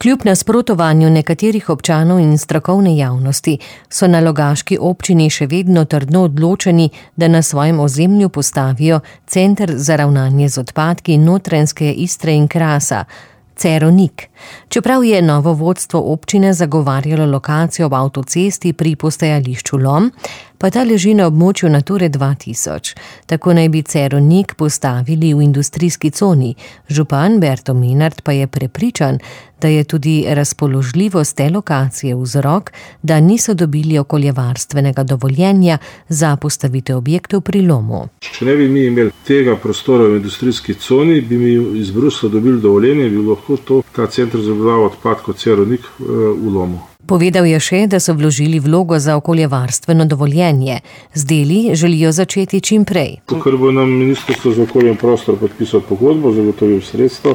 Kljub nasprotovanju nekaterih občanov in strokovne javnosti so na Logaški občini še vedno trdno odločeni, da na svojem ozemlju postavijo center za ravnanje z odpadki Notranjske Istre in Krasa, Cerovnik. Čeprav je novo vodstvo občine zagovarjalo lokacijo ob avtocesti pri postajališču Lom, pa ta leži na območju Nature 2000. Tako naj bi Cerovnik postavili v industrijski coni. Župan Berto Menard pa je prepričan, da je tudi razpoložljivost te lokacije vzrok, da niso dobili okoljevarstvenega dovoljenja za postavitev objektov pri Lomu. Če ne bi mi imeli tega prostora v industrijski coni, bi mi iz Brusla dobili dovoljenje, bi lahko ta center za obdelavo odpadkov Cerovnik v Lomu. Povedal je še, da so vložili vlogo za okoljevarstveno dovoljenje. Z deli želijo začeti čim prej. Ker bo nam Ministrstvo za okolje in prostor podpisalo pogodbo, zagotovil sredstvo,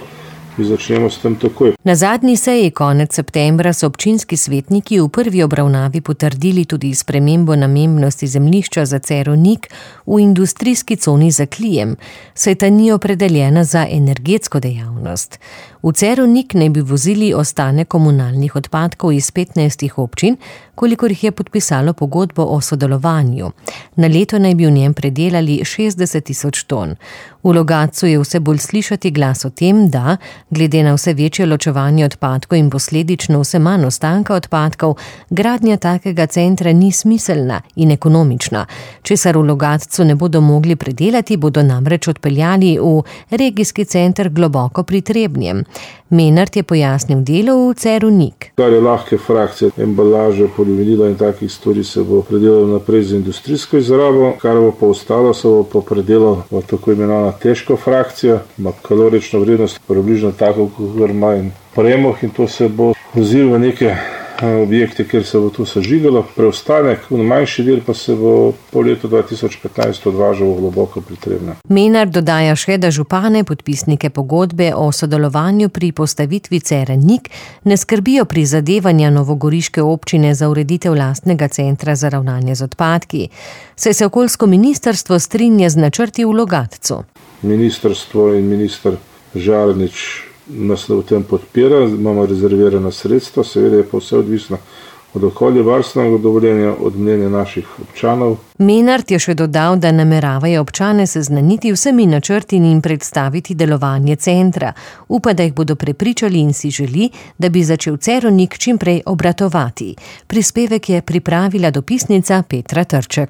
mi začnemo s tem takoj. Na zadnji seji konec septembra so občinski svetniki v prvi obravnavi potrdili tudi spremembo namembnosti zemljišča za Cerovnik v industrijski coni za Klijem, saj ta ni opredeljena za energetsko dejavnost. V Cerovnik naj bi vozili ostanek komunalnih odpadkov iz 15 občin, kolikor jih je podpisalo pogodbo o sodelovanju. Na leto naj bi v njem predelali 60 000 ton. V Logatcu je vse bolj slišati glas o tem, da, glede na vse večje ločevanje odpadkov in posledično vse manj ostanka odpadkov, gradnja takega centra ni smiselna in ekonomična. Česar v Logatcu ne bodo mogli predelati, bodo namreč odpeljali v regijski center globoko pri Trebnjem. Menard je pojasnil delo v Cerovnik. Kar je lahke frakcije, embalaže, polivinila in takih stvari se bo predelalo naprej za industrijsko izrabo, kar bo pa ostalo, se bo pa predelalo v tako imenovana težko frakcija, ima kalorično vrednost približno tako, kot ima in premog, in to se bo vozilo v neke objekte, kjer se bo to sežigalo. Preostanek, manjši del pa se bo po letu 2015 odvažal globoko pri Trebnjem. Menard dodaja še, da župane, podpisnike pogodbe o sodelovanju pri postavitvi Cerovnik ne skrbijo prizadevanja novogoriške občine za ureditev lastnega centra za ravnanje z odpadki, saj se okoljsko ministrstvo strinja z načrti v Logatcu. Ministrstvo in minister Žarnič nas v tem podpira, imamo rezervirana sredstva, seveda je pa vse odvisno od okoljevarstvenega dovoljenja, od mnenja naših občanov. Menard je še dodal, da nameravajo občane seznaniti vsemi načrti in predstaviti delovanje centra. Upa, da jih bodo prepričali in si želi, da bi začel Cerovnik čim prej obratovati. Prispevek je pripravila dopisnica Petra Trček.